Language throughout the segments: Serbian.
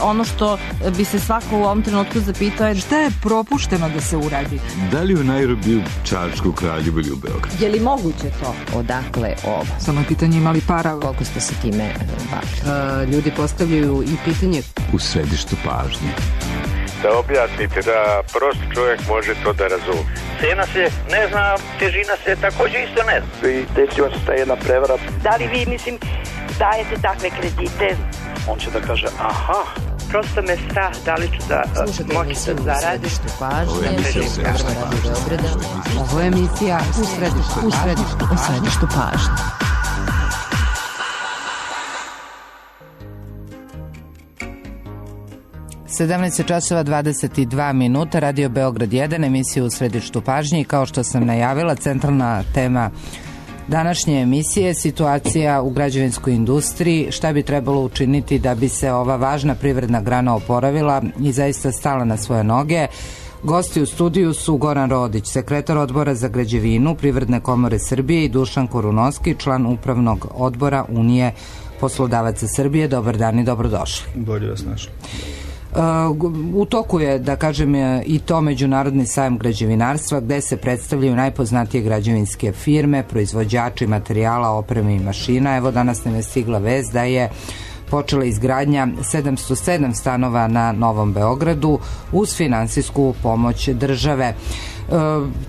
ono što bi se svako u ovom trenutku zapitao je šta je propušteno da se uradi? Da li u Nairobiju, Čačku, Kraljevu ili u Beogradu? Je li moguće to? Odakle ovo? Samo je pitanje imali para. Koliko ste se time bavili? Ljudi postavljaju i pitanje u središtu pažnje. Da objasnite da prost čovjek može to da razume. Cena se ne zna, težina se također isto ne zna. I desila se ta jedna prevara. Da li vi, mislim, dajete takve kredite? On će da kaže, aha. Prosto me strah da li ću da moći da zaradim. Ovo je emisija u središtu pažnje. časova 22 minuta, Radio Beograd 1, emisija u središtu pažnje i kao što sam najavila, centralna tema današnje emisije, situacija u građevinskoj industriji, šta bi trebalo učiniti da bi se ova važna privredna grana oporavila i zaista stala na svoje noge. Gosti u studiju su Goran Rodić, sekretar odbora za građevinu Privredne komore Srbije i Dušan Korunovski, član upravnog odbora Unije poslodavaca Srbije. Dobar dan i dobrodošli. Bolje vas našli. U toku je, da kažem, i to Međunarodni sajam građevinarstva gde se predstavljaju najpoznatije građevinske firme, proizvođači materijala, opreme i mašina. Evo danas nam je stigla vest da je počela izgradnja 707 stanova na Novom Beogradu uz finansijsku pomoć države.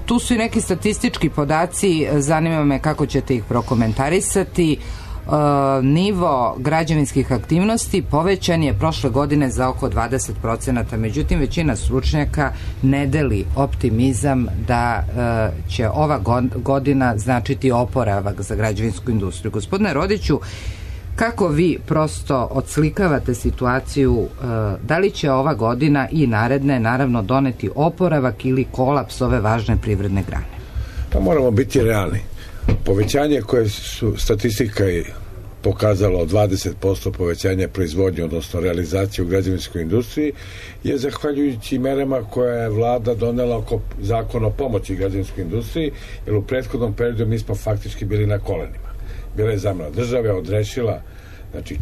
Tu su i neki statistički podaci, zanima me kako ćete ih prokomentarisati. Nivo građevinskih aktivnosti povećan je prošle godine za oko 20%, međutim većina stručnjaka ne deli optimizam da će ova godina značiti oporavak za građevinsku industriju. Gospodine Rodiću, kako vi prosto odslikavate situaciju, da li će ova godina i naredne naravno doneti oporavak ili kolaps ove važne privredne grane? Pa moramo biti realni. Povećanje koje su statistika pokazala od 20% povećanja proizvodnje, odnosno realizacije u građevinskoj industriji, je zahvaljujući merama koje je vlada donela oko zakona o pomoći građevinskoj industriji, jer u prethodnom periodu mi smo faktički bili na kolenima. Bila je zamena države, odrešila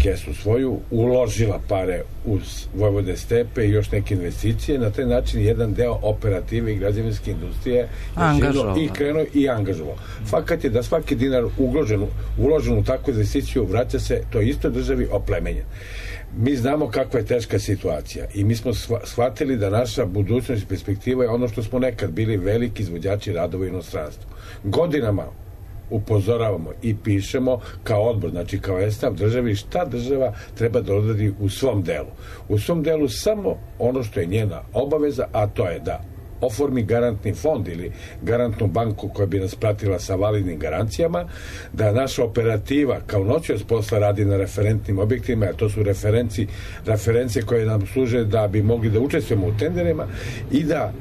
kesu svoju, uložila pare uz Vojvode Stepe i još neke investicije, na taj način jedan deo operative i građevinske industrije i krenuo i angažovao. Fakat je da svaki dinar uložen u takvu investiciju vraća se toj istoj državi oplemenjen. Mi znamo kakva je teška situacija i mi smo shvatili da naša budućnost i perspektiva je ono što smo nekad bili veliki izvođači radova u inostranstvu. Godinama upozoravamo i pišemo kao odbor, znači kao estav državi, šta država treba da odradi u svom delu. U svom delu samo ono što je njena obaveza, a to je da oformi garantni fond ili garantnu banku koja bi nas pratila sa validnim garancijama, da naša operativa kao noćas posla radi na referentnim objektima, a to su referencije koje nam služe da bi mogli da učestvujemo u tenderima i da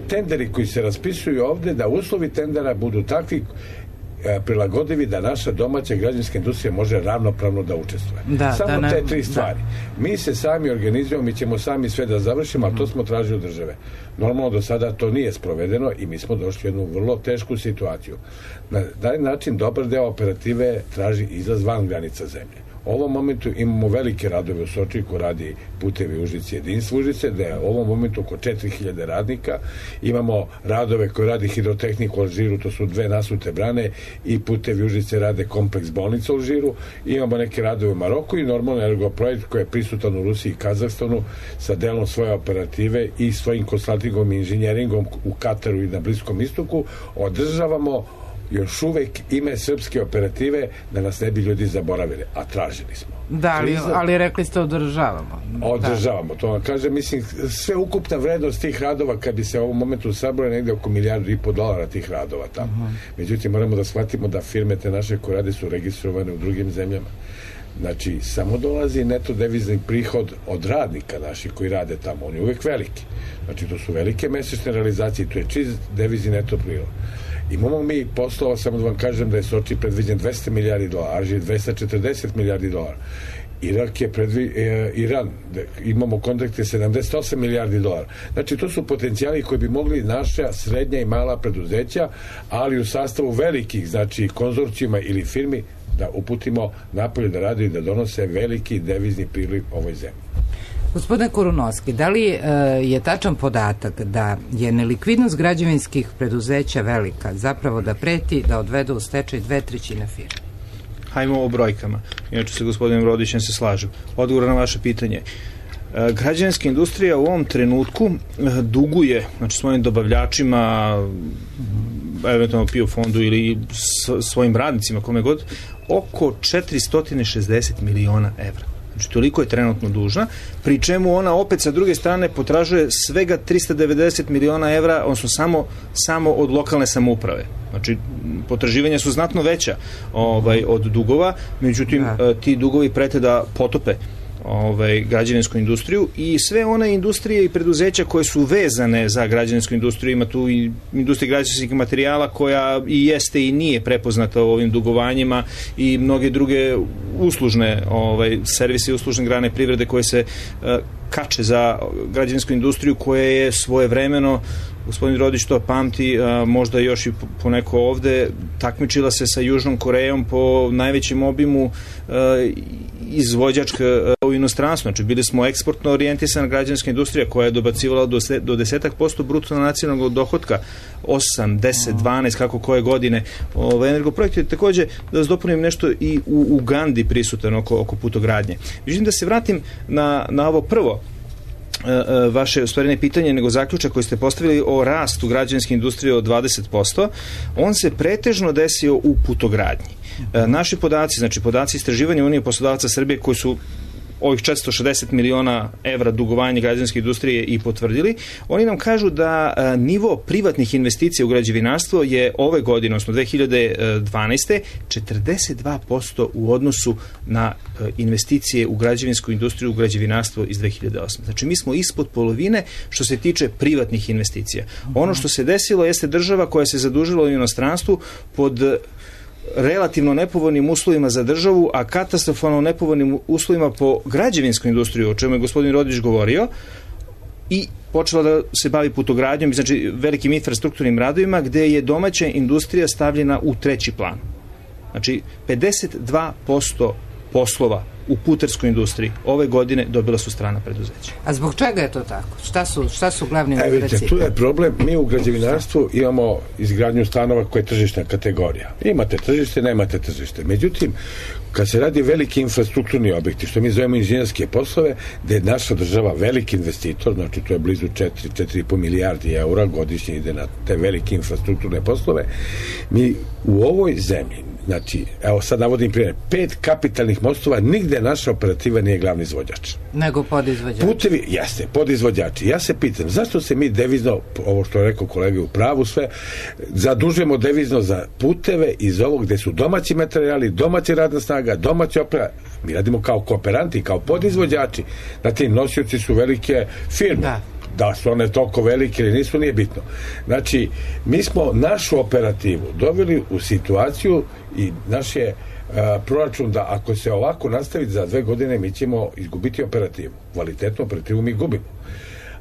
tenderi koji se raspisuju ovde, da uslovi tendera budu takvi prilagodivi da naša domaća građevinska industrija može ravnopravno da učestvuje. Samo te tri stvari. Mi se sami organizujemo, mi ćemo sami sve da završimo, ali to smo tražili od države. Normalno do sada to nije sprovedeno i mi smo došli u jednu vrlo tešku situaciju. Na taj način dobar deo operative traži izlaz van granica zemlje. U ovom momentu imamo velike radove u Sočiku, radi Putevi Užice, Jedinstvo Užice, da je u ovom momentu oko 4000 radnika. Imamo radove koje radi Hidrotehnika u Alžiru, to su 2 nasute brane, i Putevi Užice rade kompleks bolnica u Alžiru. Imamo neke radove u Maroku i normalno Energoprojekt koji je prisutan u Rusiji i Kazahstanu sa delom svoje operative i svojim konsultingom i inženjeringom u Kataru i na Bliskom istoku. Održavamo još uvek ime srpske operative da nas ne bi ljudi zaboravili, a tražili smo. Da, ali rekli ste održavamo. Održavamo, to vam kaže, mislim, sve ukupna vrednost tih radova, kad bi se u ovom momentu sabrali negde oko $1,5 milijardi tih radova tamo. Međutim, moramo da shvatimo da firme te naše koje rade su registrovane u drugim zemljama. Znači, samo dolazi neto devizni prihod od radnika naših koji rade tamo, on je uvek veliki. Znači, to su velike mesečne realizacije, to je čist devizni neto prihod. Imamo mi poslova, samo da vam kažem da je Soči predviđen $200 milijardi, Alžir $240 milijardi. Irak je Iran, imamo kontakte $78 milijardi. Znači, to su potencijali koji bi mogli naša srednja i mala preduzeća, ali u sastavu velikih, znači konzorcijuma ili firmi, da uputimo napolje da radi i da donose veliki devizni priliv ovoj zemlji. Gospodine Kurunovski, da li je tačan podatak da je nelikvidnost građevinskih preduzeća velika, zapravo da preti da odvedu u stečaj 2/3 firme? Hajmo o brojkama. Inače sa gospodinom Rodićem se slažem. Odgovor na vaše pitanje. Građevinska industrija u ovom trenutku duguje, znači svojim dobavljačima, eventualno PIO fondu ili svojim radnicima, kome god, oko 460 miliona evra. Znači, toliko je trenutno dužna, pri čemu ona opet sa druge strane potražuje svega 390 miliona evra, odnosno samo od lokalne samouprave. Znači, potraživanja su znatno veća od dugova, međutim, ti dugovi prete da potope građevinsku industriju i sve one industrije i preduzeća koje su vezane za građevinsku industriju. Ima tu i industrija građevinskih materijala koja i jeste i nije prepoznata u ovim dugovanjima i mnoge druge uslužne servise i uslužne grane privrede koje se kače za građevinsku industriju, koja je svojevremeno, gospodin Rodić to pamti, možda još i poneko ovde, takmičila se sa Južnom Korejom po najvećem obimu izvođačka u inostranstvu. Znači, bili smo eksportno orijentisana građevinska industrija koja je dobacivala do 10% bruto nacionalnog dohotka, 8, 10, 12, kako koje godine. Energoprojekt je takođe, da vas dopunim, nešto i u Ugandi prisutan oko putogradnje. Međutim, da se vratim na ovo prvo vaše stvarine pitanje, nego zaključak koji ste postavili o rastu građevinske industrije od 20%, on se pretežno desio u putogradnji. Naši podaci, znači podaci istraživanja Unije poslodavaca Srbije, koji su ovih 460 miliona evra dugovanja građevinske industrije i potvrdili, oni nam kažu da nivo privatnih investicija u građevinarstvo je ove godine, odnosno 2012. 42% u odnosu na investicije u građevinsku industriju, u građevinarstvo iz 2008. Znači, mi smo ispod polovine što se tiče privatnih investicija. Ono što se desilo jeste država koja se zadužila u inostranstvu pod relativno nepovoljnim uslovima za državu, a katastrofalno nepovoljnim uslovima po građevinsku industriju, o čemu je gospodin Rodić govorio, i počela da se bavi putogradnjom, znači velikim infrastrukturnim radovima, gde je domaća industrija stavljena u treći plan. Znači, 52% poslova u putarskoj industriji ove godine dobila su strana preduzeća. A zbog čega je to tako? Šta su glavni uzroci? Vidite, tu je problem. Mi u građevinarstvu imamo izgradnju stanova koja je tržišna kategorija. Imate tržište, nemate tržište. Međutim, kad se radi veliki infrastrukturni objekti, što mi zovemo inženjerske poslove, gde je naša država veliki investitor, znači to je blizu 4,5 milijardi eura godišnje ide na te velike infrastrukturne poslove, mi u ovoj zemlji, znači, evo sad navodim primjer, 5 kapitalnih mostova, nigde naša operativa nije glavni izvođač. Nego podizvođači. Putevi, jeste, podizvođači. Ja se pitam, zašto se mi devizno, ovo što je rekao kolega u pravu sve, zadužujemo devizno za puteve iz ovog gde su domaći materijali, domaća radna snaga, domaća opera. Mi radimo kao kooperanti, kao podizvođači. Na tim nosioci su velike firme. Da su one toliko velike ili nisu, nije bitno. Znači, mi smo našu operativu doveli u situaciju i naš je proračun da ako se ovako nastavi za 2 godine mi ćemo izgubiti operativu. Kvalitetnu operativu mi gubimo.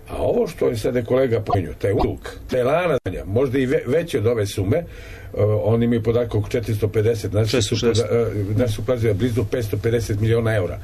A ovo što je sada kolega pomenio, taj udug, taj lanac, možda i veći od ove sume, oni imaju podatak oko 450, naši su plazili blizu 550 miliona eura.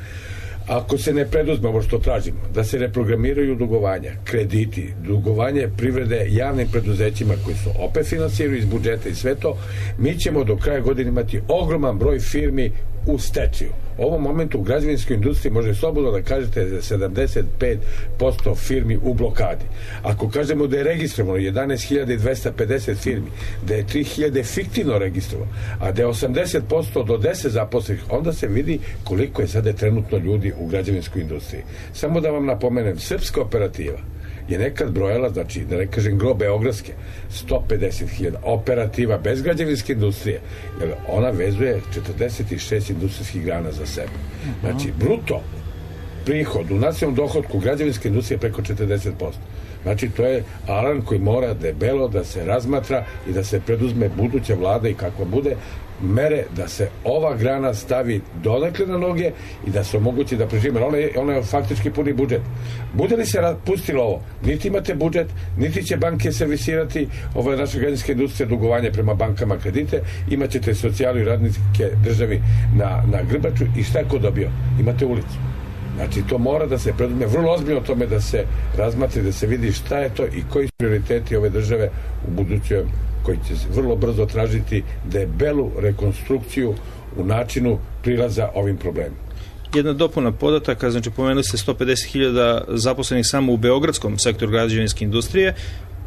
Ako se ne preduzme ovo što tražimo, da se reprogramiraju dugovanja, krediti, dugovanje privrede javnim preduzećima koji su opet finansiraju iz budžeta i sve to, mi ćemo do kraja godine imati ogroman broj firmi u stečaju. U ovom momentu u građevinskoj industriji može slobodno da kažete da 75% firmi u blokadi. Ako kažemo da je registrovano 11.250 firmi, da je 3.000 fiktivno registrovano, a da je 80% do 10 zaposlenih, onda se vidi koliko je sada trenutno ljudi u građevinskoj industriji. Samo da vam napomenem, srpska operativa je nekad brojala, znači da ne kažem gro beogradske, 150.000 operativa bez građevinske industrije, jer ona vezuje 46 industrijskih grana za sebe. Znači, bruto prihod u nacionalnom dohodku građevinske industrije preko 40%. Znači, to je alarm koji mora debelo da se razmatra i da se preduzme buduća vlada i kako bude mere da se ova grana stavi donekle na noge i da se omogući da preživimo. Ona je faktički puni budžet. Bude li se pustilo ovo, niti imate budžet, niti će banke servisirati naša građanska industrija, dugovanje prema bankama, kredite, imaćete socijalu i radnike državi na grbaču i šta je ko dobio? Imate ulicu. Znači, to mora da se preduzme vrlo ozbiljno o tome da se razmatri, da se vidi šta je to i koji su prioriteti ove države u budućem, koji će se vrlo brzo tražiti debelu rekonstrukciju u načinu prilaza ovim problemima. Jedna dopuna podataka, znači pomenuli ste 150.000 zaposlenih samo u beogradskom sektoru građevinske industrije,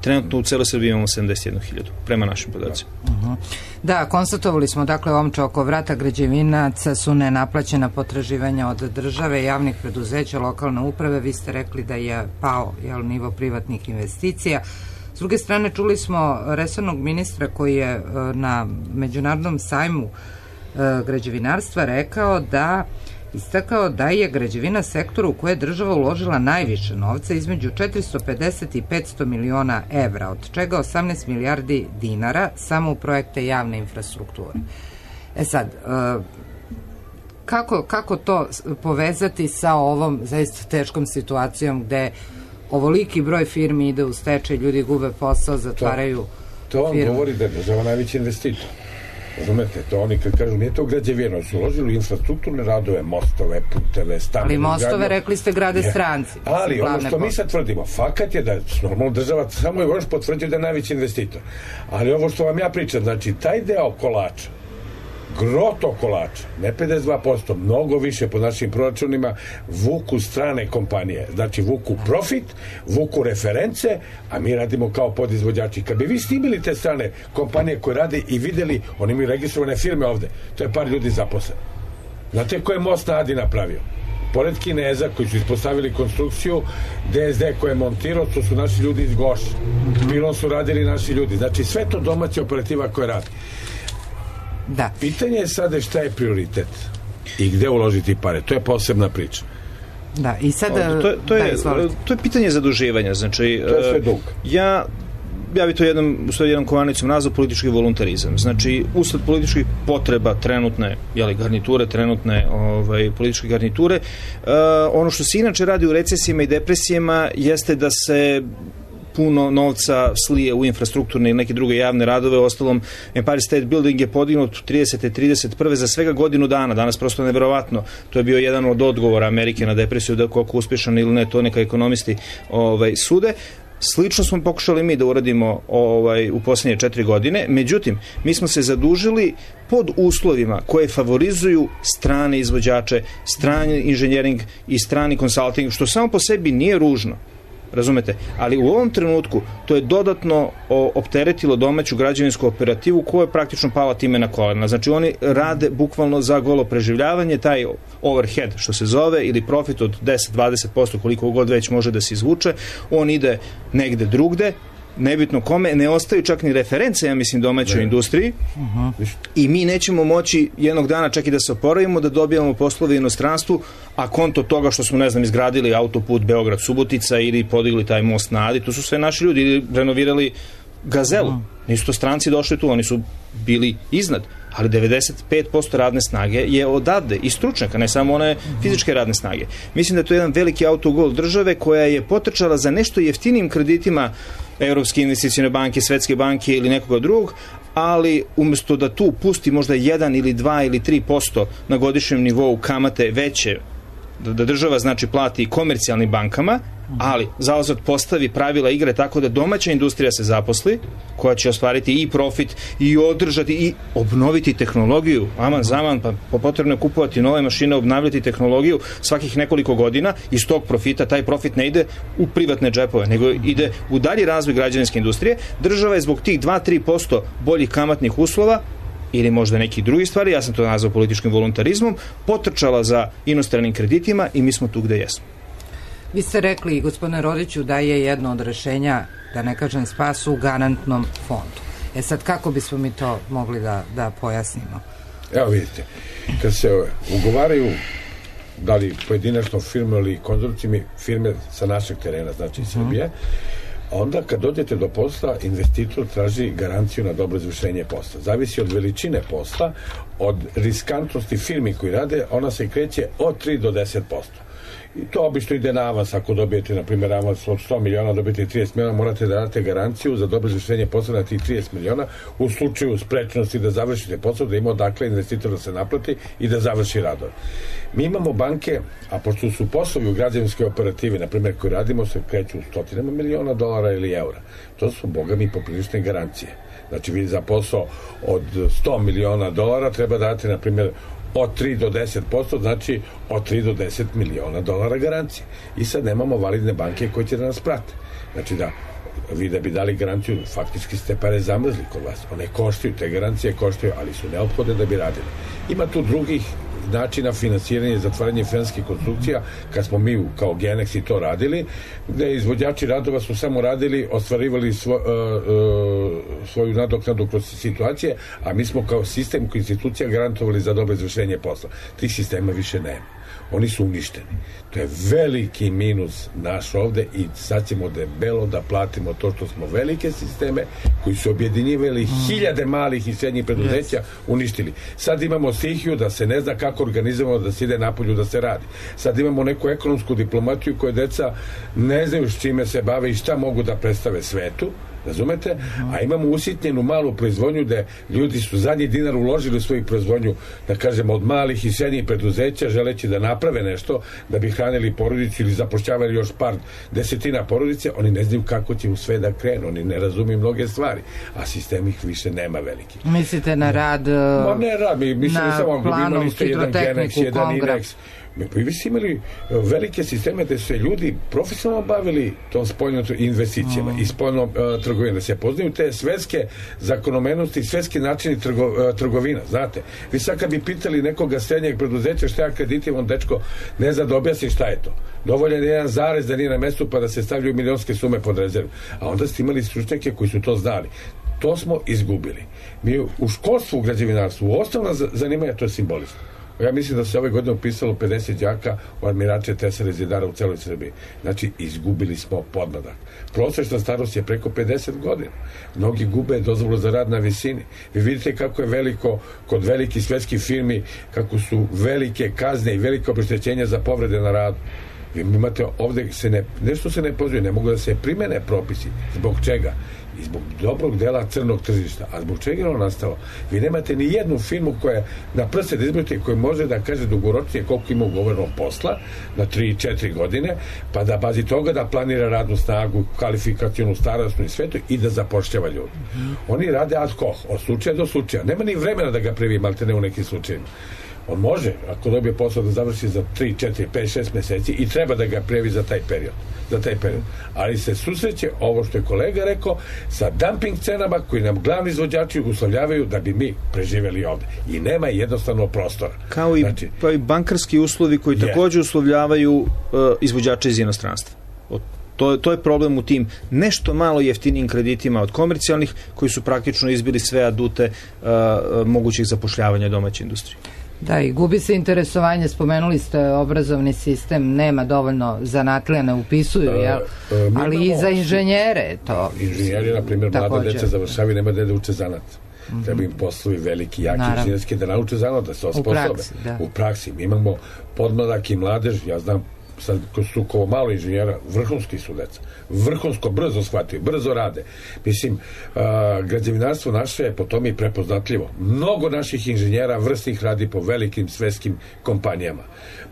trenutno u celoj Srbiji imamo 71.000, prema našim podacima. Da, konstatovali smo, dakle, omče oko vrata građevinaca su nenaplaćena potraživanja od države, javnih preduzeća, lokalne uprave. Vi ste rekli da je pao nivo privatnih investicija. S druge strane, čuli smo resornog ministra koji je na Međunarodnom sajmu građevinarstva istakao da je građevina sektor u koje je država uložila najviše novca, između 450 i 500 miliona evra, od čega 18 milijardi dinara samo u projekte javne infrastrukture. Sad, kako to povezati sa ovom zaista teškom situacijom gde ovoliki broj firmi ide u stečaj, ljudi gube posao, zatvaraju firme? To vam govori da je država najveći investitor. Razumete, to oni kad kažu, nije to građevino, su uložili u infrastrukturne radove, mostove, puteve, stambene. Ali mostove, rekli ste, grade stranci. Ali ono što mi sad tvrdimo, fakat je da normalno država samo je još potvrđuje da je najveći investitor. Ali ovo što vam ja pričam, znači taj deo kolača, groto kolača, ne 52%, mnogo više po našim proračunima, vuku strane kompanije. Znači, vuku profit, vuku reference, a mi radimo kao podizvođači. Kad bi vi snimili te strane kompanije koje rade i videli, oni imaju registrovane firme ovde, to je par ljudi zaposleni. Znate ko je most na Adi napravio? Pored Kineza koji su ispostavili konstrukciju, DSD koji je montirao, to su naši ljudi iz Goša. Pilon su radili naši ljudi. Znači, sve to domaća operativa koja radi. Da. Pitanje je sada šta je prioritet i gde uložiti pare. To je posebna priča. Da, i sada... To je pitanje zaduživanja. Znači, to je sve dug. Ja bi to jednom kovanicom nazvao politički voluntarizam. Znači, usled političkih potreba trenutne garniture, političke garniture, ono što se inače radi u recesijama i depresijama jeste da se puno novca slije u infrastrukturne i neke druge javne radove. Ostalom, Empire State Building je podignut 30. 31. za svega godinu dana. Danas prosto neverovatno. To je bio jedan od odgovora Amerike na depresiju, da koliko uspješan ili ne, to neka ekonomisti sude. Slično smo pokušali mi da uradimo u posljednje 4 godine. Međutim, mi smo se zadužili pod uslovima koje favorizuju strane izvođače, strani inženjering i strani konsulting, što samo po sebi nije ružno. Razumete? Ali u ovom trenutku to je dodatno opteretilo domaću građevinsku operativu koja je praktično pala time na kolena. Znači oni rade bukvalno za golo preživljavanje, taj overhead što se zove ili profit od 10-20% koliko god već može da se izvuče, on ide negde drugde, nebitno kome, ne ostaju čak ni reference, ja mislim, domaćoj industriji i mi nećemo moći jednog dana čak i da se oporavimo, da dobijamo poslove u inostranstvu, a konto toga što smo, izgradili autoput Beograd-Subotica ili podigli taj most na Adi, tu su sve naši ljudi, ili renovirali Gazelu. Nisu to stranci došli tu, oni su bili iznad, ali 95% radne snage je odavde i stručnjaka, ne samo one fizičke radne snage. Mislim da je to jedan veliki autogol države koja je potrčala za nešto jeftinim kreditima Evropske investicione banke, Svetske banke ili nekoga drugog, ali umjesto da tu pusti možda 1 ili 2 ili 3% na godišnjem nivou kamate veće, da država plati komercijalnim bankama, ali zauzvrat postavi pravila igre tako da domaća industrija se zaposli, koja će ostvariti i profit i održati i obnoviti tehnologiju, aman zaman, pa potrebno je kupovati nove mašine, obnavljati tehnologiju svakih nekoliko godina, iz tog profita, taj profit ne ide u privatne džepove, nego ide u dalji razvoj građevinske industrije. Država je zbog tih 2-3% boljih kamatnih uslova ili možda neki drugi stvari, ja sam to nazvao političkim voluntarizmom, potrčala za inostranim kreditima i mi smo tu gde jesmo. Vi ste rekli, gospodine Rodiću, da je jedno od rešenja, da ne kažem spas, u garantnom fondu. Sad, kako bismo mi to mogli da pojasnimo? Evo vidite, kad se ugovaraju da li pojedinačno firme ili konzorcijumi, firme sa našeg terena, znači Srbije, onda kad dođete do posla, investitor traži garanciju na dobro izvršenje posla. Zavisi od veličine posla, od riskantnosti firmi koji rade, ona se kreće od 3 do 10%. I to obično ide na avans. Ako dobijete, na primjer, avans od 100 miliona, dobijete 30 miliona, morate da date garanciju za dobro izvršenje posla na tih 30 miliona u slučaju sprečnosti da završite posao, da ima odakle investitor da se naplati i da završi radove. Mi imamo banke, a pošto su poslovi u građevinskoj operativi, na primjer, koji radimo, se kreću u stotinama miliona dolara ili eura. To su, boga mi, poprilične garancije. Znači, vi za posao od 100 miliona dolara treba dati, na primjer, od 3 do 10%, znači od 3 do 10 miliona dolara garancije. I sad nemamo validne banke koje će da nas prate. Znači da vi da bi dali garanciju, faktički ste pare zamrzli kod vas. One koštaju, te garancije koštaju, ali su neophodne da bi radili. Ima tu drugih načina finansiranja i zatvaranja finansijskih konstrukcija, kad smo mi kao Genex i to radili, gde izvođači radova su samo radili, ostvarivali svoju nadoknadu kroz situacije, a mi smo kao sistem, kao institucija garantovali za dobro izvršenje posla. Tih sistema više nema. Oni su uništeni. To je veliki minus naš ovde i sad ćemo debelo da platimo to što smo velike sisteme koji su objedinjivali hiljade malih i srednjih preduzeća uništili. Sad imamo stihiju da se ne zna kako organizujemo da se ide napolju da se radi. Sad imamo neku ekonomsku diplomatiju koje deca ne znaju s čime se bave i šta mogu da predstave svetu. Razumete? A imamo usitnjenu malu proizvodnju gde ljudi su zadnji dinar uložili u svoju proizvodnju, da kažemo, od malih i srednjih preduzeća, želeći da naprave nešto, da bi hranili porodicu ili zapošljavali još par desetina porodice. Oni ne znaju kako će u sve da krenu, oni ne razumiju mnoge stvari, a sistem ih više nema veliki. Mislite na rad, ne rad, mi mislili samo imali ste jedan Genex, jedan Inex. Vi ste imali velike sisteme gde su se ljudi profesionalno bavili tom spoljnom investicijama i spoljnom trgovinom, da se poznaju te svetske zakonomenosti i svetski načini trgovina, znate. Vi sad kad bi pitali nekoga srednjeg preduzeća šta ja kreditivam, dečko ne zna da objasni šta je to. Dovoljan je jedan zarez da nije na mestu pa da se stavljaju milionske sume pod rezervu. A onda ste imali stručnjake koji su to znali. To smo izgubili. Mi u školstvu, u građevinarstvu, u osnovna zanimanja, to je simbolizam. Ja mislim da se ove godine upisalo 50 đaka u admirače, tesare, zidara u celoj Srbiji. Znači, izgubili smo podmladak. Prosečna starost je preko 50 godina. Mnogi gube dozvolu za rad na visini. Vi vidite kako je veliko, kod velikih svetskih firmi, kako su velike kazne i velike obeštećenja za povrede na radu. Vi imate ovde, nešto se ne pozove, ne mogu da se primene propisi. Zbog čega? I zbog dobrog dela crnog tržišta. A zbog čega je ono nastalo? Vi nemate ni jednu firmu koja na prste da izbrojite, koja može da kaže dugoročnije koliko ima ugovorenog posla na 3-4 godine, pa da bazi toga da planira radnu snagu, kvalifikacionu, starostnu i sve to i da zapošljava ljudi. Oni rade ad hoc, od slučaja do slučaja. Nema ni vremena da ga privi, malte ne u nekim slučajima. On može, ako dobije posao, da završi za 3, 4, 5, 6 meseci i treba da ga prijavi za taj period. Ali se susreće, ovo što je kolega rekao, sa dumping cenama koji nam glavni izvođači uslovljavaju da bi mi preživjeli ovde. I nema jednostavno prostora. Kao i, pa i bankarski uslovi koji također uslovljavaju izvođače iz inostranstva. To je problem u tim nešto malo jeftinijim kreditima od komercijalnih koji su praktično izbili sve adute mogućih zapošljavanja domaće industrije. Da, i gubi se interesovanje, spomenuli ste obrazovni sistem, nema dovoljno zanatlija, ne upisuju, ali i za inženjere to. Inženjeri, na primjer, mlada deca završavaju, nema da uče zanat. Treba im poslovi veliki, jaki inženjerski da nauče zanat, da se osposobe. U praksi. Mi imamo podmladak i mladež, ja znam, sad su kao malo inženjera, vrhunski su deca. Vrhunsko, brzo shvataju, brzo rade. Mislim, građevinarstvo naše je po tome i prepoznatljivo. Mnogo naših inženjera vrsnih radi po velikim svetskim kompanijama.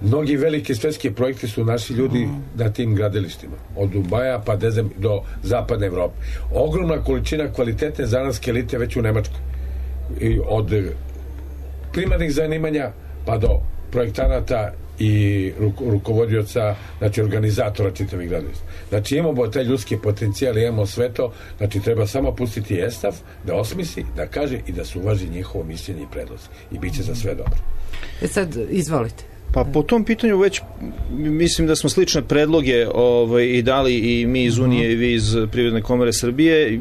Mnogi veliki svetski projekti su naši ljudi na tim gradilištima. Od Dubaja pa do zapadne Evrope. Ogromna količina kvalitetne zanatske elite već u Nemačkoj. I od primarnih zanimanja pa do projektanata i rukovodioca, znači organizatora čitavih gradilišta. Znači imamo taj ljudski potencijal, imamo sve to, znači treba samo pustiti ESTAF da osmisli, da kaže i da se uvaži njihovo mišljenje i predlozi i bit će za sve dobro. Sad, izvolite. Pa po tom pitanju već mislim da smo slične predloge i dali i mi iz Unije i vi iz Privredne komore Srbije.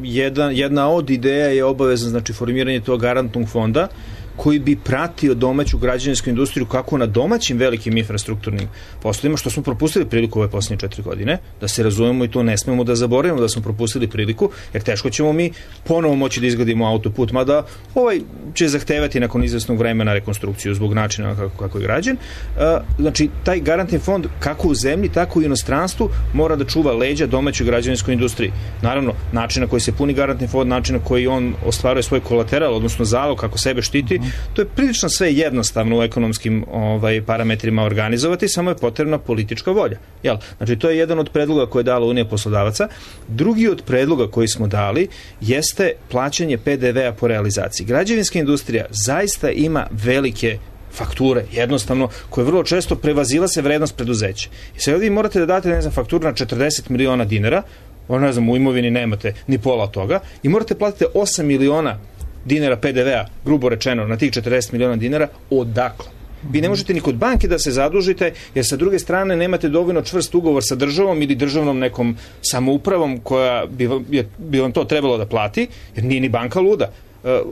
Jedna od ideja je obavezno, znači, formiranje tog garantnog fonda koji bi pratio domaću građevinsku industriju kako na domaćim velikim infrastrukturnim poslovima, što smo propustili priliku ove posljednje 4 godine, da se razumemo i to ne smemo da zaboravimo da smo propustili priliku, jer teško ćemo mi ponovo moći da izgradimo autoput, mada ovaj će zahtevati nakon izvesnog vremena rekonstrukciju zbog načina kako je građen. Znači, taj garantni fond kako u zemlji, tako i u inostranstvu mora da čuva leđa domaćoj građevinskoj industriji. Naravno, način na koji se puni garantni fond, način na koji on ostvaruje svoj kolateral, odnosno zalog kako sebe štiti, to je prilično sve jednostavno u ekonomskim parametrima organizovati, samo je potrebna politička volja. Jel? Znači, to je jedan od predloga koje je dala Unija poslodavaca. Drugi od predloga koji smo dali jeste plaćanje PDV-a po realizaciji. Građevinska industrija zaista ima velike fakture, jednostavno, koje vrlo često prevazilaze vrednost preduzeća. I sad vi morate da date, fakturu na 40 miliona dinara, u imovini nemate ni pola toga, i morate platiti 8 miliona dinara PDV-a, grubo rečeno, na tih 40 miliona dinara, odakle? Vi ne možete ni kod banke da se zadužite, jer sa druge strane nemate dovoljno čvrst ugovor sa državom ili državnom nekom samoupravom koja bi vam to trebalo da plati, jer nije ni banka luda.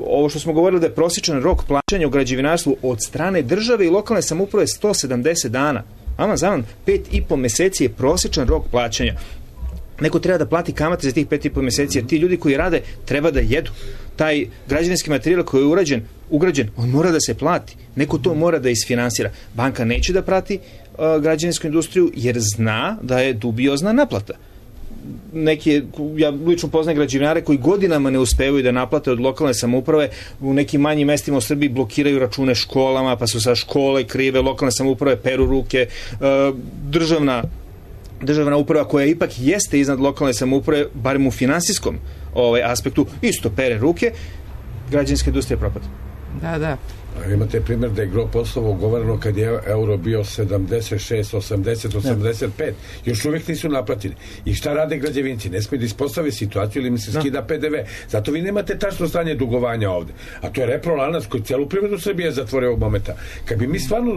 Ovo što smo govorili da je prosječan rok plaćanja u građevinarstvu od strane države i lokalne samouprave 170 dana. Zaman, 5,5 meseci je prosječan rok plaćanja. Neko treba da plati kamate za tih 5,5 meseci, jer ti ljudi koji rade treba da jedu. Taj građevinski materijal koji je ugrađen, on mora da se plati. Neko to mora da isfinansira. Banka neće da prati građevinsku industriju jer zna da je dubiozna naplata. Ja lično poznajem građevinare koji godinama ne uspevaju da naplate od lokalne samouprave, u nekim manjim mestima u Srbiji blokiraju račune školama, pa su sa škole krive, lokalne samouprave peru ruke, državna uprava koja ipak jeste iznad lokalne samouprave, barem u finansijskom aspektu, isto pere ruke, građevinska industrija propada. Da. Imate primjer da je gro poslova ugovoreno kad je euro bio 76, 80, 85. Još uvijek nisu naplatili. I šta rade građevinci? Ne smije da ispostave situaciju ili mi se skida PDV. Zato vi nemate tačno stanje dugovanja ovde. A to je reprolanac koji cijelu privredu Srbije zatvore ovog momenta. Kad bi mi stvarno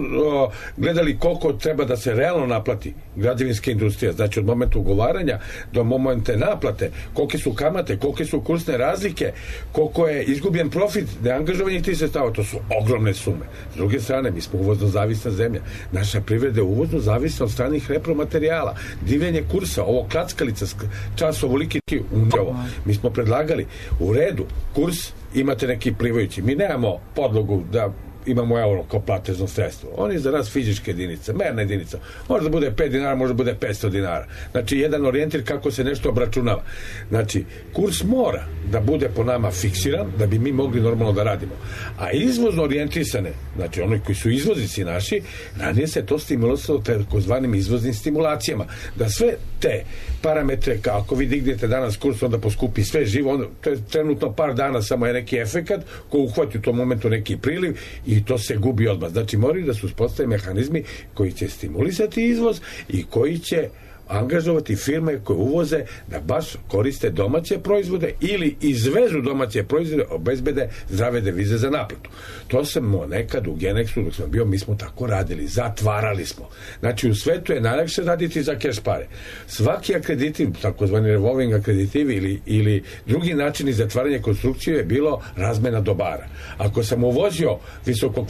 gledali koliko treba da se realno naplati građevinska industrija, znači od momenta ugovaranja do momenta naplate, kolike su kamate, kolike su kursne razlike, koliko je izgubljen profit neangažovanih tih sredstava, to su ogromne sume. S druge strane, mi smo uvozno zavisna zemlja. Naša privreda je uvozno zavisna od stranih repromaterijala. Divljenje kursa, ovo klackalica, čas ovoliki upravo. Mi smo predlagali, u redu, kurs imate neki plivajući. Mi nemamo podlogu da imamo euro kao platežno sredstvo. On je za nas fizička jedinica, merna jedinica. Može da bude 5 dinara, može da bude 500 dinara. Znači, jedan orijentir kako se nešto obračunava. Znači, kurs mora da bude po nama fiksiran, da bi mi mogli normalno da radimo. A izvozno orijentisane, znači oni koji su izvoznici naši, ranije se to stimulisalo takozvanim izvoznim stimulacijama. Da sve te parametre, ako vi dignete danas kurs, onda poskupi sve živo, to je trenutno par dana, samo je neki efekat ko uhvati u tom momentu neki priliv i to se gubi odmah. Znači, moraju da su uspostavljeni mehanizmi koji će stimulisati izvoz i koji će angažovati firme koje uvoze da baš koriste domaće proizvode ili izvezu domaće proizvode, obezbede zdrave devize za naplatu. To sam nekad u Genexu, dok sam bio, mi smo tako radili, zatvarali smo. Znači, u svetu je najlakše raditi za keš pare. Svaki akreditiv, takozvani revolving akreditivi ili drugi načini zatvaranja konstrukcije je bilo razmena dobara. Ako sam uvozio visoko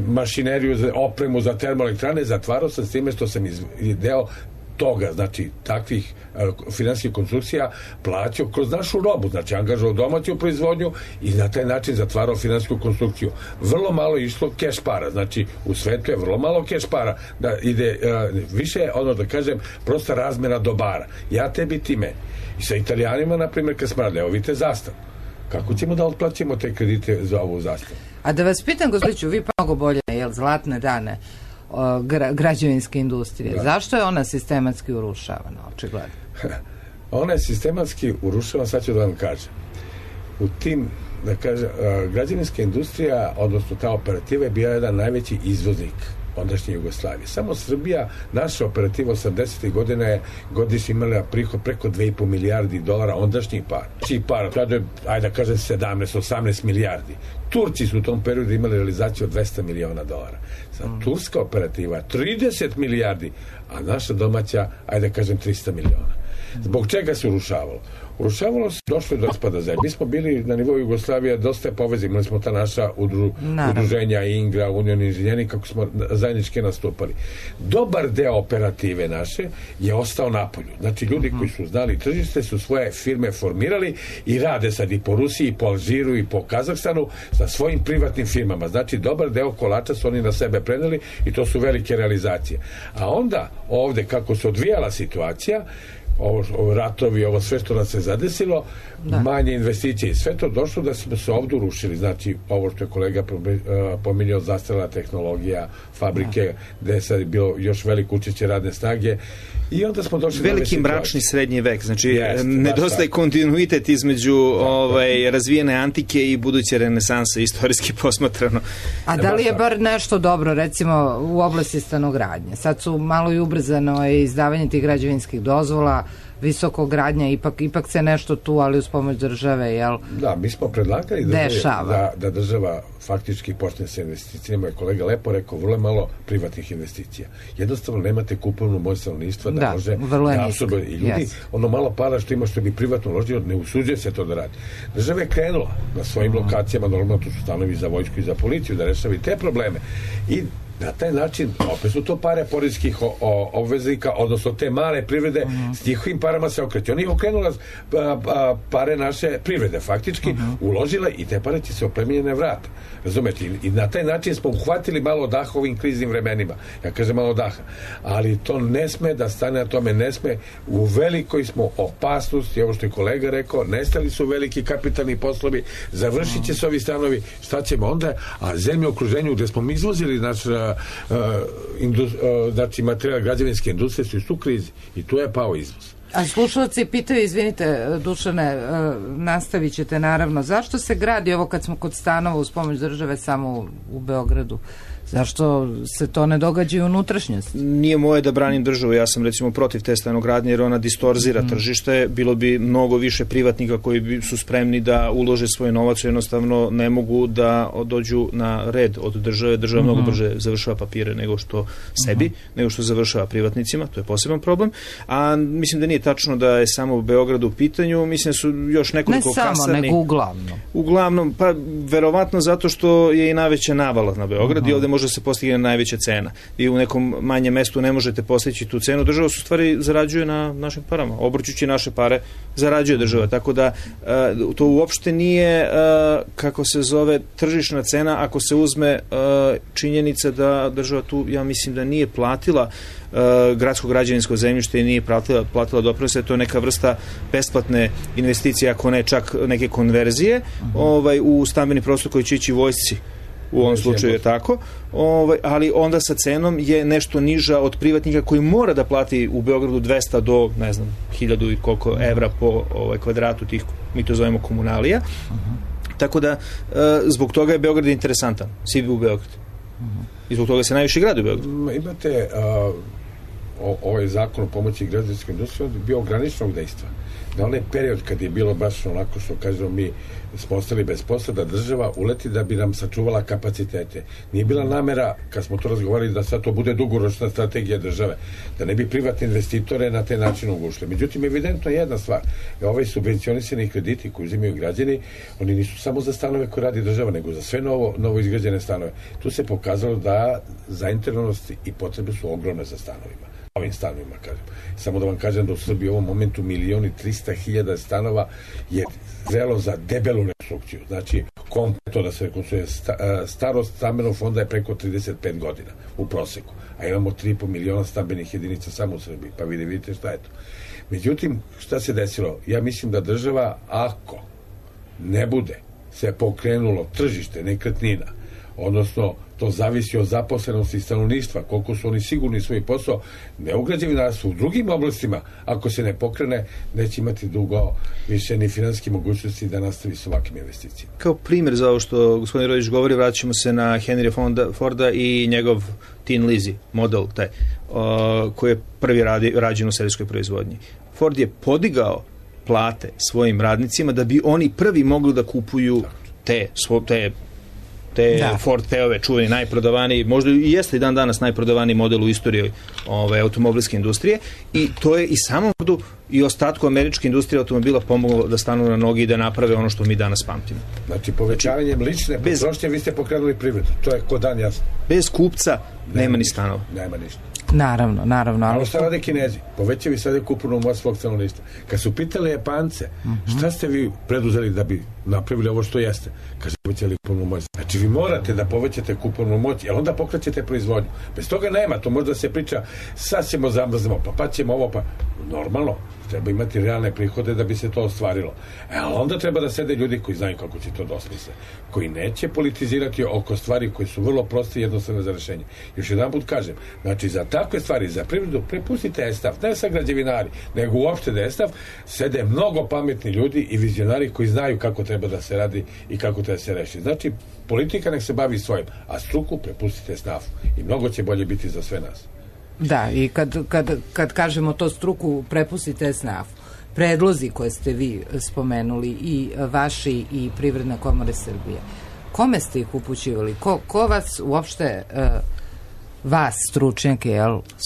mašineriju, opremu za termoelektrane, zatvarao sam s time što sam deo toga, znači takvih finansijskih konstrukcija plaćao kroz našu robu, znači angažovao domaću proizvodnju i na taj način zatvarao finansijsku konstrukciju. Vrlo malo išlo keš para, znači u svetu je vrlo malo keš para, da ide više, da kažem, prosta razmena dobara. Ja tebi, ti meni. I sa Italijanima, na primjer, kad smo radili, evo vidite zastavu. Kako ćemo da otplaćemo te kredite za ovu zastavu? A da vas pitam, gospođo, vi mnogo bolje, zlatne dane građevinske industrije. Da. Zašto je ona sistematski urušavana, očigledno? Ona je sistematski urušavana, sad ću da vam kažem. U tim, da kažem, građevinska industrija, odnosno ta operativa je bila jedan najveći izvoznik ondašnje Jugoslavije. Samo Srbija, naša operativa 80. godina je godišnje imala prihod preko 2,5 milijardi dolara ondašnjih para. Tada je, ajde da kažem, 17-18 milijardi. Turci su u tom periodu imali realizaciju od 200 miliona dolara. Sad, turska operativa 30 milijardi, a naša domaća, ajde da kažem, 300 miliona. Zbog čega se urušavalo? Urušavalo se, došlo do raspada zemlje. Mi smo bili na nivou Jugoslavije dosta povezani, imali smo ta naša udruženja Ingra, Union inženjeri, kako smo zajednički nastupali. Dobar deo operative naše je ostao napolju. Znači, ljudi koji su znali tržište su svoje firme formirali i rade sad i po Rusiji, i po Alžiru, i po Kazahstanu sa svojim privatnim firmama. Znači, dobar deo kolača su oni na sebe preneli i to su velike realizacije. A onda, ovde, kako se odvijala situacija, ovo ratovi, ovo sve što nas se zadesilo, manje investicije i sve to došlo da smo se ovdje urušili. Znači, ovo što je kolega pominjao, zastarela tehnologija, fabrike, gde je sad bilo još veliko učešće radne snage i onda smo došli veliki mračni srednji vek. Znači, nedostaje kontinuitet između razvijene antike i buduće renesanse, istorijski posmatrano. A da li je bar nešto dobro, recimo, u oblasti stanogradnje? Sad su malo i ubrzano izdavanje tih građevinskih dozvola, visokogradnja, ipak se nešto tu, ali uz pomoć države, jel? Da, mi smo predlagali da država faktički počne sa investicijama. Je kolega lepo rekao, vrlo malo privatnih investicija. Jednostavno nemate kupovnu moć stanovništva da može da absorbuje. I ljudi, ono malo para što ima što bi privatno uložio, ne usuđuje se to da radi. Država je krenula na svojim lokacijama, normalno tu su stanovi za vojsku i za policiju, da rešavi te probleme. I na taj način, opet su to pare poreskih obveznika, odnosno te male privrede, s njihovim parama se okreće. Oni okrenula pare naše privrede, faktički, uložila i te pare će se oplemenjene vrata. Razumete? I na taj način smo uhvatili malo daha ovim kriznim vremenima. Ja kažem malo daha. Ali to ne sme da stane, na tome ne sme. U velikoj smo opasnosti, ovo što je kolega rekao, nestali su veliki kapitalni poslovi, završit će se ovi stanovi, šta ćemo onda? A zemlje u okruženju gde smo mi izvozili znači materijal građevinske industrije su u krizi i tu je pao izvoz. A slušalci pitaju, izvinite Dušane, nastavit ćete naravno, zašto se gradi ovo kad smo kod stanova uz pomoć države samo u Beogradu? Zašto se to ne događa i unutrašnjosti? Nije moje da branim državu, ja sam recimo protiv te stanogradnje jer ona distorzira tržište, bilo bi mnogo više privatnika koji su spremni da ulože svoj novac, jednostavno ne mogu da dođu na red od države, država mnogo brže završava papire nego što sebi, nego što završava privatnicima, to je poseban problem, a mislim da nije tačno da je samo u Beogradu u pitanju, mislim da su još nekoliko kasarni. Ne samo, nego uglavnom. Uglavnom, pa verovatno zato što je i najveća navala na Beograd i ovde može se postigne najveća cena. Vi u nekom manjem mestu ne možete postići tu cenu. Država su stvari zarađuje na našim parama. Obrćući naše pare zarađuje država. Tako da to uopšte nije kako se zove tržišna cena ako se uzme činjenica da država tu, ja mislim da nije platila gradsko građevinsko zemljište i nije platila doprinose, to je neka vrsta besplatne investicije, ako ne čak neke konverzije u stambeni prostor koji će ići vojsci. U ovom slučaju je tako, ali onda sa cenom je nešto niža od privatnika koji mora da plati u Beogradu 200 do, ne znam, 1000 i koliko evra po kvadratu tih, mi to zovemo komunalija. Tako da, zbog toga je Beograd interesantan, svi bi u Beogradu. I zbog toga se najviše gradi u Beogradu. Imate ovaj zakon o pomoći građevinskoj industriji bio ograničenog dejstva. Na onaj period kad je bilo baš onako što kažemo mi smo ostali bez posla, da država uleti da bi nam sačuvala kapacitete. Nije bila namera, kad smo to razgovarali, da sad to bude dugoročna strategija države, da ne bi privatne investitore na taj način ugušli. Međutim, evidentno je jedna stvar. Ovaj subvencionisani krediti koji uzimaju građani, oni nisu samo za stanove koje radi država, nego za sve novo izgrađene stanove. Tu se pokazalo da zainteresovanost i potrebe su ogromne za stanovima. Ovim stanovima, kažem. Samo da vam kažem da u Srbiji u ovom momentu 1.300.000 stanova je zrelo za debelu rekonstrukciju. Znači, kompletno da se rekonstruuje. Starost stambenog fonda je preko 35 godina u proseku, a imamo 3,5 miliona stambenih jedinica samo u Srbiji, pa vidite šta je to. Međutim, šta se desilo? Ja mislim da država, ako ne bude se pokrenulo tržište nekretnina, odnosno to zavisi od zaposlenosti stanovništva, koliko su oni sigurni svoj posao, ne u građevinarstvu, u drugim oblastima, ako se ne pokrene, neće imati dugo više ni finansijske mogućnosti da nastavi s ovakvim investicijama. Kao primjer za ovo što gospodin Rodić govori, vraćamo se na Henry Forda i njegov Tin Lizzy model, taj, koji je prvi rađen u serijskoj proizvodnji. Ford je podigao plate svojim radnicima da bi oni prvi mogli da kupuju te te Ford T-ove čuveni, najprodavaniji, možda i jeste i dan danas najprodavaniji model u istoriji automobilske industrije, i to je i samom Fordu i ostatku američke industrije automobila pomoglo da stanu na nogi i da naprave ono što mi danas pamtimo. Znači, povećavanjem lične potrošnje vi ste pokrenuli privredu. To je ko dan jasno. Bez kupca nema ni stanova. Nema ništa. Naravno. Ali šta rade Kinezi? Povećavi sad kupovnu moć svog stanovništva. Kad su pitali Japance, šta ste vi preduzeli da bi napravili ovo što jeste? Kaže, povećali kupovnu moć. Znači, vi morate da povećate kupovnu moć, jer onda pokrećete proizvodnju. Bez toga nema, to možda se priča, sad ćemo zamrznemo, pa ćemo ovo, pa normalno. Treba imati realne prihode da bi se to ostvarilo. Ali onda treba da sede ljudi koji znaju kako će to dosmisle, koji neće politizirati oko stvari koje su vrlo proste i jednostavne za rešenje. Još jedan put kažem, znači za takve stvari, za privredu, prepustite ESTAF, ne sa građevinari, nego uopšte da ESTAF sede mnogo pametni ljudi i vizionari koji znaju kako treba da se radi i kako treba da se reši. Znači, politika nek se bavi svojim, a struku prepustite SNAF-u i mnogo će bolje biti za sve nas. Da, i kad kažemo to struku, prepustite SNAF. Predlozi koje ste vi spomenuli, i vaši i Privredna komora Srbije, kome ste ih upućivali? Ko vas uopšte, vas stručnjake,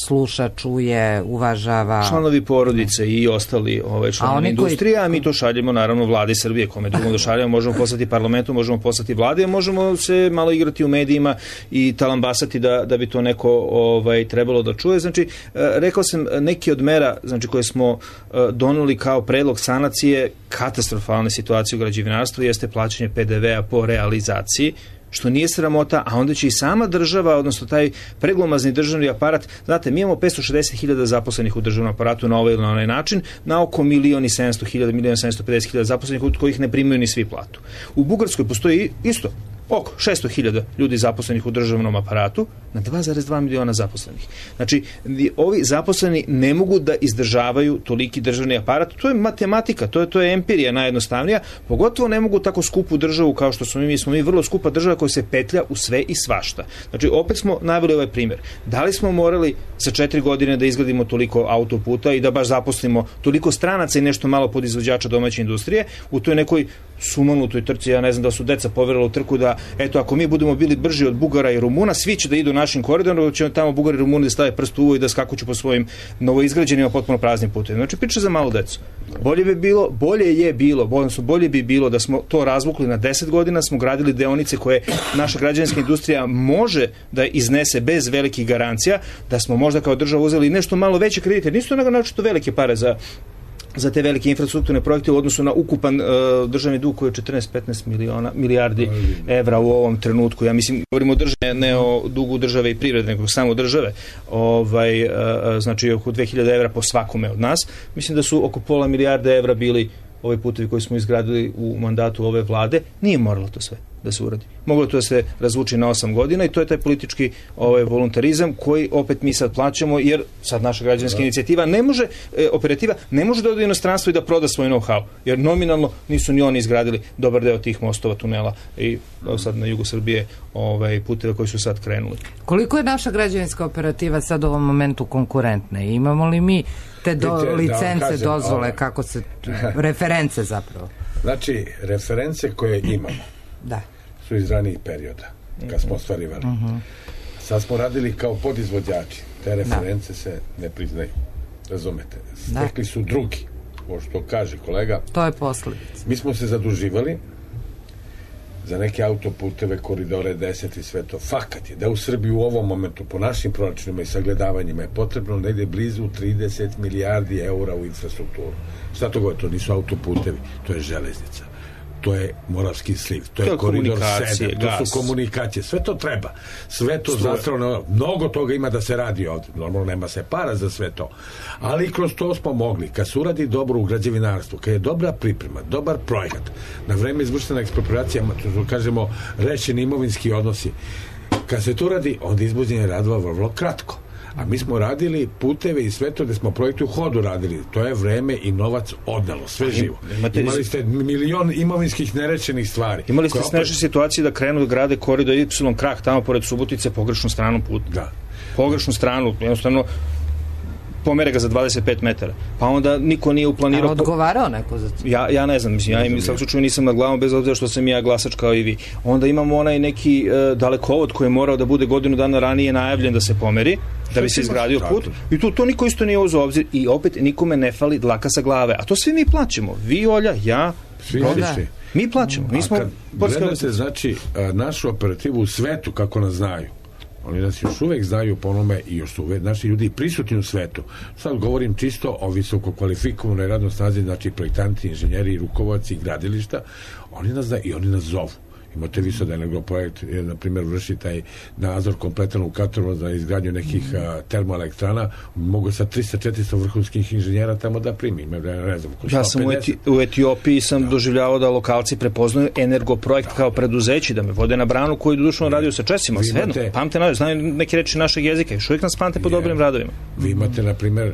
sluša, čuje, uvažava? Članovi porodice i ostali članovi industrije, a mi to šaljemo naravno vladi Srbije, kome drugom da šaljemo, možemo poslati parlamentu, možemo poslati vladi, a možemo se malo igrati u medijima i talambasati da bi to neko trebalo da čuje. Znači, rekao sam, neki od mera, znači, koje smo donuli kao predlog sanacije katastrofalne situacije u građevinarstvu jeste plaćanje PDV-a po realizaciji, što nije sramota, a onda će i sama država, odnosno taj preglomazni državni aparat, znate, mi imamo 560.000 zaposlenih u državnom aparatu na ovaj ili na onaj način, na oko 1.700.000, 1.750.000 zaposlenih od kojih ne primaju ni svi platu. U Bugarskoj postoji isto oko 600.000 ljudi zaposlenih u državnom aparatu na 2,2 miliona zaposlenih. Znači, ovi zaposleni ne mogu da izdržavaju toliki državni aparat. To je matematika, to je empirija najjednostavnija, pogotovo ne mogu tako skupu državu kao što smo mi vrlo skupa država koja se petlja u sve i svašta. Znači, opet smo naveli ovaj primjer. Da li smo morali za 4 godine da izgradimo toliko autoputa i da baš zaposlimo toliko stranaca i nešto malo podizvođača domaće industrije u toj nekoj sumanutoj trci? Ja ne znam da su deca poverila u trku da, eto, ako mi budemo bili brži od Bugara i Rumuna, svi će da idu našim koridorom, će tamo Bugari i Rumuni da stave prst u uvo i da skakuću po svojim novoizgrađenima potpuno praznim putovima. Znači, priča za malu decu. Bolje bi bilo da smo to razvukli na 10 godina, smo gradili deonice koje naša građevinska industrija može da iznese bez velikih garancija, da smo možda kao država uzeli nešto malo veće kredite. Nisu to naročito velike pare za te velike infrastrukturne projekte u odnosu na ukupan državni dug koji je 14-15 milijardi evra u ovom trenutku. Ja mislim, govorimo o državi, ne o dugu države i privrede, nego samo države. Znači, oko 2000 evra po svakome od nas. Mislim da su oko pola milijarde evra bili ovi putevi koji smo izgradili u mandatu ove vlade. Nije moralo to sve da se uradi. Moglo to da se razvuči na 8 godina i to je taj politički voluntarizam koji opet mi sad plaćamo, jer sad naša građanska inicijativa operativa ne može da ode u inostranstvo i da proda svoj know-how, jer nominalno nisu ni oni izgradili dobar deo tih mostova, tunela i sad na jugu Srbije puteva koji su sad krenuli. Koliko je naša građevinska operativa sad u ovom momentu konkurentna? Imamo li mi te licence, dozvole, kako se, reference zapravo? Znači, reference koje imamo su iz ranijih perioda, kad smo ostvarivali. Sad smo radili kao podizvođači. Te reference se ne priznaju. Razumete? Stekli su drugi. Ovo što kaže kolega. To je posljedica. Mi smo se zaduživali za neke autoputeve, koridore 10 i sve to. Fakat je da u Srbiji u ovom momentu po našim proračunima i sagledavanjima je potrebno negde blizu 30 milijardi eura u infrastrukturu. Šta to govori? To nisu autoputevi, to je železnica. To je Moravski sliv, to je koridor 7, to su komunikacije, sve to treba, sve to zastrano, mnogo toga ima da se radi ovdje, normalno nema se para za sve to, ali kroz to smo mogli, kad se uradi dobro u građevinarstvu, kad je dobra priprema, dobar projekat, na vreme izvršena ekspropriacija, kažemo, rešeni imovinski odnosi, kad se to radi, onda izvođenje radova vrlo kratko. A mi smo radili puteve i sve to gde smo projekte u hodu radili. To je vreme i novac odnelo, sve živo. Imali ste milion imovinskih nerečenih stvari. Imali ste snežne situacije da krenu da grade koridor Y krak tamo pored Subotice pogrešnu stranu puta. Da. Pogrešnu stranu, jednostavno pomere ga za 25 metara. Pa onda niko nije uplanirao... A odgovarao neko za to? Ja ne znam, ja im svakog slučaju nisam na glavom, bez obzira što sam ja glasač kao i vi. Onda imamo onaj neki dalekovod koji je morao da bude godinu dana ranije najavljen da se pomeri, da bi se izgradio put. I to niko isto nije uzeo obzir i opet nikome ne fali dlaka sa glave. A to svi mi plaćamo. Vi, Olja, ja, svi. Mi plaćamo. Mi smo gledate, znači, našu operativu u svetu, kako nas znaju. Oni nas još uvek znaju po onome i još su naši ljudi prisutni u svetu. Sad govorim čisto o visoko kvalifikovanoj radnoj snazi, znači projektanti, inženjeri, rukovodci, gradilišta. Oni nas znaju i oni nas zovu. Imate vi sad Energoprojekt, na primjer, vrši taj nadzor kompletan u Kataru za izgradnju nekih termoelektrana, mogu sa 300-400 vrhunskih inženjera tamo da primi. Ne znam, ja sam u Etiopiji sam doživljavao da lokalci prepoznaju Energoprojekt kao preduzeći, da me vode na branu koju dodušno radio sa Česima, svejedno, pamte nađe, znaju neke reči našeg jezika, još uvijek nas pamte po dobrim radovima. Vi imate, na primjer,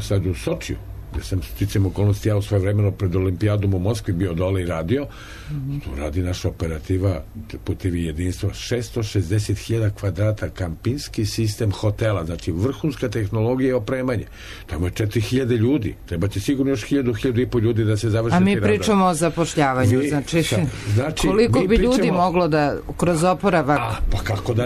sad u Sočiju, gde sam sticam okolnosti, ja u svoje vremeno pred olimpijadom u Moskvi bio dole i radio, tu radi naša operativa Putevi jedinstva, 660.000 kvadrata, kampinski sistem hotela, znači vrhunska tehnologija i opremanje. Tamo je 4.000 ljudi, treba će sigurno još 1.000-1.500 ljudi da se završi. A mi pričamo o zapošljavanju, znači koliko bi ljudi moglo da kroz oporavak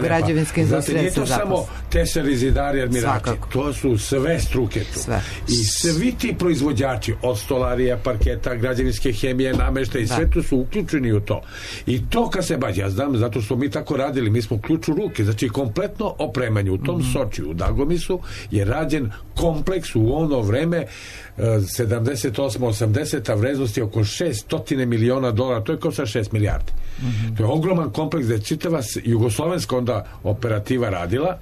građevinske industrije se zaposli. Nije to samo tesari, zidari, admirači, to su sve struke tu. I svi ti proizvođači od stolarija, parketa, građevinske hemije, namešta i sve to su uključeni u to. I to kad se bađe, ja znam, zato što mi tako radili, mi smo ključ u ruke, znači kompletno opremanje u tom Sočiju, u Dagomisu je rađen kompleks u ono vreme 78-80, vrednosti oko $600 miliona, to je kao sa 6 milijardi. To je ogroman kompleks da je čitava jugoslovenska onda operativa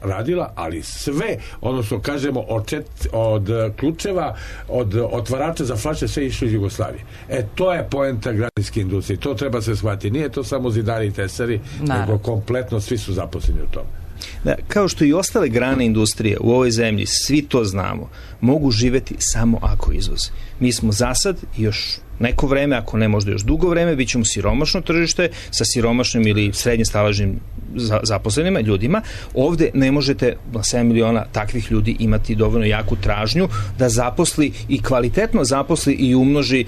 radila, ali sve, odnosno kažemo od ključeva, od otvarača za flaše, sve išlo iz Jugoslavije. To je poenta građevinske industrije, to treba se shvatiti. Nije to samo zidari i tesari, nego kompletno svi su zaposleni u tome. Da, kao što i ostale grane industrije u ovoj zemlji, svi to znamo, mogu živeti samo ako izvoze. Mi smo za sad još neko vreme, ako ne možda još dugo vreme, bit ćemo siromašno tržište sa siromašnim ili srednje staležnim zaposlenima, ljudima. Ovde ne možete na 7 miliona takvih ljudi imati dovoljno jaku tražnju da zaposli i kvalitetno zaposli i umnoži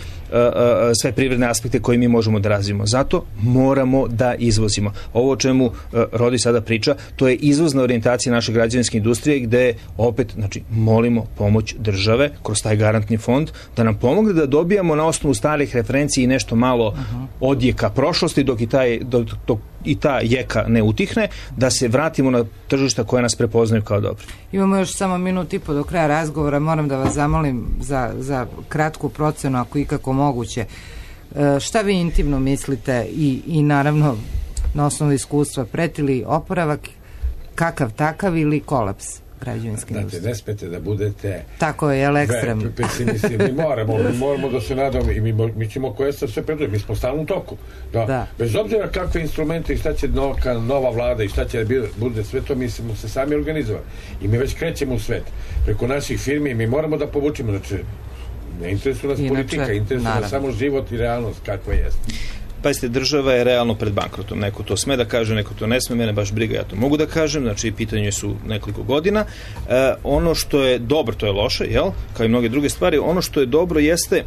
sve privredne aspekte koje mi možemo da razvijemo. Zato moramo da izvozimo. Ovo o čemu Rodi sada priča, to je izvozna orijentacija naše građevinske industrije gde opet, znači, molimo pomoć države kroz taj garantni fond da nam pomogne da dobijamo na osnovu starih referencija i nešto malo odjeka prošlosti dok i ta jeka ne utihne, da se vratimo na tržišta koje nas prepoznaju kao dobri. Imamo još samo minut i po do kraja razgovora, moram da vas zamolim za kratku procenu, ako ikako moguće. Šta vi intimno mislite i naravno na osnovu iskustva, preti li oporavak kakav takav ili kolaps građevinske industrije? Znate, ne smete da budete tako je, jel ekstremno? Pesimisti. Mi moramo da se nadamo i mi ćemo koje se sve preduje. Mi smo stalno u toku. Da. Bez obzira kakve instrumente i šta će nova vlada i šta će bude sve to, mi smo se sami organizovali. I mi već krećemo u svet. Preko naših firmi mi moramo da povučimo. Znači, ne interesuje nas politika, interesuje nas samo život i realnost kakva jeste. Pazite, država je realno pred bankrotom. Neko to sme da kaže, neko to ne sme, mene baš briga, ja to mogu da kažem, znači pitanje su nekoliko godina. Ono što je dobro, to je loše, jel? Kao i mnoge druge stvari, ono što je dobro jeste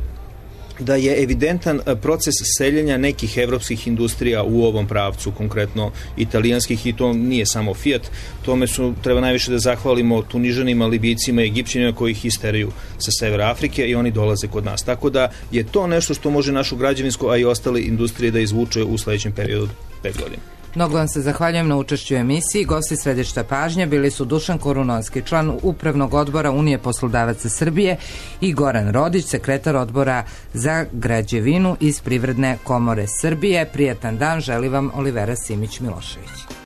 da je evidentan proces seljenja nekih evropskih industrija u ovom pravcu, konkretno italijanskih, i to nije samo Fiat, tome treba najviše da zahvalimo Tunižanima, Libijcima i Egipćanima koji ih isteraju sa severa Afrike i oni dolaze kod nas. Tako da je to nešto što može našu građevinsku, a i ostale industrije da izvuče u sledećem periodu 5 godina. Mnogo vam se zahvaljujem na učešću u emisiji. Gosti središta pažnje bili su Dušan Korunovski, član Upravnog odbora Unije poslodavaca Srbije, i Goran Rodić, sekretar odbora za građevinu iz Privredne komore Srbije. Prijatan dan, želi vam Olivera Simić-Milošević.